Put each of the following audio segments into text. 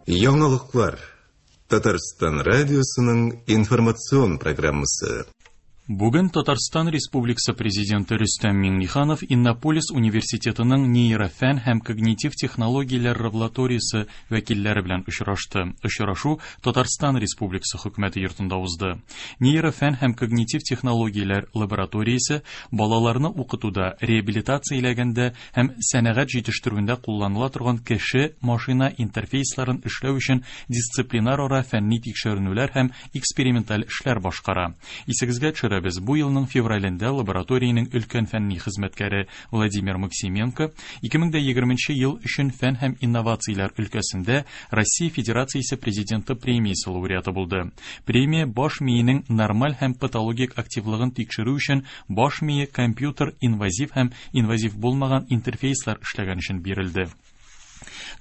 Яңалыклар. Татарстан радиосының информацион программасы. Бүген Татарстан Республикасы Президенты Рөстәм Миңнеханов Иннополис университетының нейрофән һәм когнитив технологияләр лабораториясе вәкилләре белән очрашты. Очрашу Татарстан Республикасы Хөкүмәте йортында узды. Нейрофән һәм когнитив технологияләр лабораториясе балаларны укытуда, реабилитацияләгәндә һәм сәнәгать җитештерүендә кулланыла торган кеше-машина интерфейсларын эшләү өчен дисциплинарара фәнни тикшеренүләр һәм эксперименталь эшләр башкара. Исегезгә төшерәбез, бу елның февралендә лабораториянең өлкән фәнни хезмәткәре Владимир Максименко 2020 ел өчен фән һәм инновацияләр өлкәсендә Россия Федерациясе Президенты премиясе лауреаты булды. Премия баш миенең нормаль һәм патологик активлыгын тикшерү өчен баш мие компьютер инвазив һәм инвазив булмаган интерфейслар эшләгән өчен бирелде.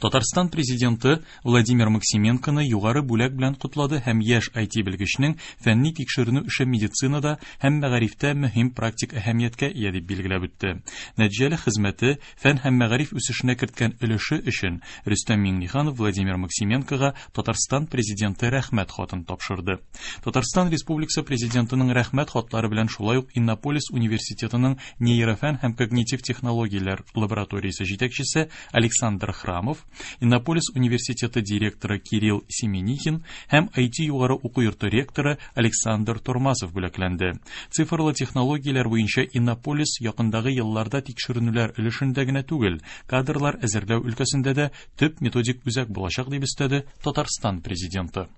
Татарстан президенты Владимир Максименконы югары бүләк белән котлады һәм яшь IT белгечнең фәнни тикшеренү эше медицинада һәм мәгарифтә мөһим практик әһәмияткә ия дип билгеләп үтте. Нәтиҗәле хезмәте, фән һәм мәгариф үсешенә керткән өлеше өчен Рөстәм Миңнеханов Владимир Максименкога Татарстан президенты рәхмәт хатын тапшырды. Татарстан Республикасы президентының рәхмәт хатлары белән шулай ук Иннополис университетының нейрофән һәм когнитив технологияләр лабораториясе җитәкчесе Александр Храмов, Иннополис университеты директоры Кирилл Семенихин һәм IT югары уку йорты ректоры Александр Тормасов бүләкләнде. Цифрлы технологияләр буенча Иннополис якындагы елларда тикшеренүләр өлешендә генә түгел, кадрлар әзерләү өлкәсендә дә төп методик үзәк булачак, дип өстәде Татарстан президенты.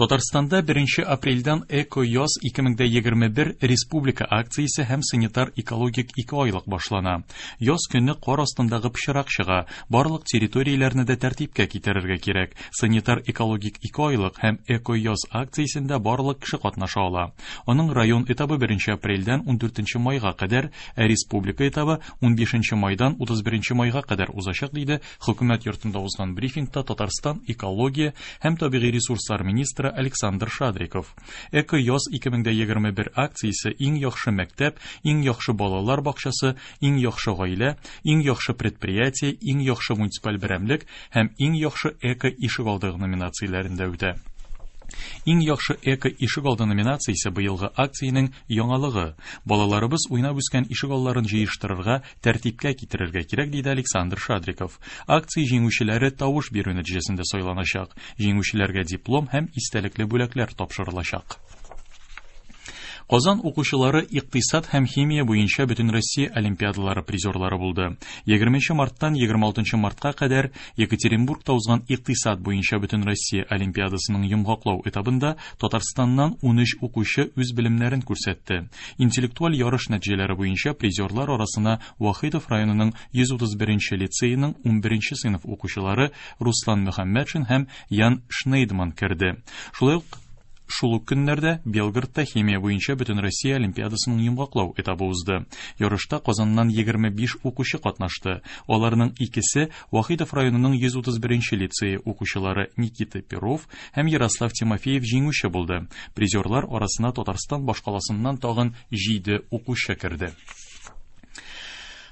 Татарстанда 1 апрельдән Эко-яз 2021 республика акциясе һәм санитар-экологик ике айлык башлана. Яз көне кар астындагы пычрак чыга, барлык территорияләрне дә тәртипкә китерергә кирәк. Санитар-экологик ике айлык һәм Эко-яз акциясендә барлык кеше катнаша ала. Аның район этабы 1 апрельдән 14 майга кадәр, ә республика этабы 15 майдан 31 майга кадәр узачак, диде Хөкүмәт йортында узган брифингта Татарстан экология һәм табигый ресурслар министры Александр Шадриков. Эко-яз 2021 акциясе иң яхшы мәктәп, иң яхшы балалар бакчасы, иң яхшы гаилә, иң яхшы предприятие, иң яхшы муниципаль берәмлек һәм иң яхшы эко-ишегалды номинацияләрендә үтә. Иң яхшы эко-ишегалды номинациясе быелгы акциянең яңалыгы. Балаларыбыз уйнап үскән ишегалларын җыештырырга, тәртипкә китерергә кирәк, диде Александр Шадриков. Акция җиңүчеләре тавыш бирү нәтиҗәсендә сайланачак. Җиңүчеләргә диплом һәм истәлекле бүләкләр тапшырылачак. Казан укучылары икътисад һәм химия буенча Бөтенроссия олимпиадалары призерлары булды. 20 марттан 26 мартка кадәр Екатеринбургта узган икътисад буенча Бөтенроссия олимпиадасының йомгаклау этабында Татарстаннан 13 укучы үз белемнәрен күрсәтте. Интеллектуаль ярыш нәтиҗәләре буенча призерлар арасына Вахитов районының 131 лицееның 11 сыйныф укучылары Руслан Мөхәммәтшин һәм Ян Шнейдман керде. Шулай ук шул ук көннәрдә Белгородта химия буенча Бөтенроссия олимпиадасының йомгаклау этабы узды. Ярышта Казаннан 25 укучы катнашты. Аларның икесе Вахитов районының 131 лицее укучылары Никита Перов һәм Ярослав Тимофеев җиңүче булды. Призерлар арасына Татарстан башкаласыннан тагын 7 укучы керде.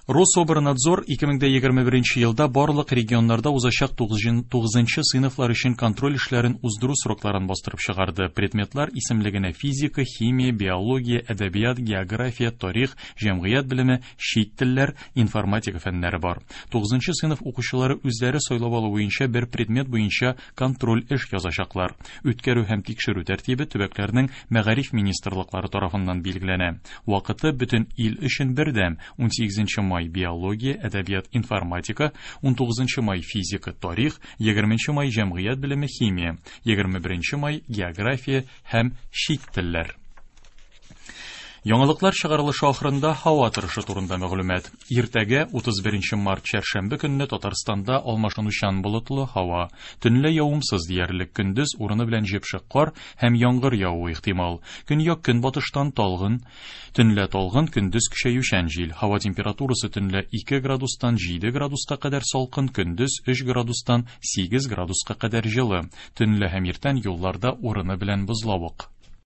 Рособорнадзор 2021 елда барлык регионнарда узачак 9 сыйныфлар өчен контроль эшләрен уздыру срокларын бастырып чыгарды. Предметлар исемлегенә физика, химия, биология, әдәбият, география, тарих, җәмгыять белеме, чит телләр, информатика фәннәре бар. 9 сыйныф укучылары үзләре сайлап алу буенча бер предмет буенча контроль эш язачаклар. Үткәрү һәм тикшерү тәртибе төбәкләрнең мәгариф министрлыклары тарафыннан билгеләнә. Вакыты бөтен ил өчен бердәм 18 май биология, әдәбият, информатика, 19 май физика, тарих, 20 май җәмгыять белеме, химия, 21 май география һәм чит телләр. Яңалыклар чыгарылышы ахырында һава торышы турында мәгълүмат. Иртәгә 31 март чәршәмбе көнне Татарстанда алмашынучан болытлы һава. Төнлә явымсыз диярлек, көндез урыны белән җепшек кар һәм яңгыр явуы ихтимал. Көньяк көнбатыштан талгын, төнлә талгын, көндез көчәючән җил. Һава температурасы төнлә 2 градустан 7 градуска кадәр салкын, көндез 3 градустан 8 градуска кадәр җылы. Төнлә һәм иртән юлларда урыны белән бозлавык.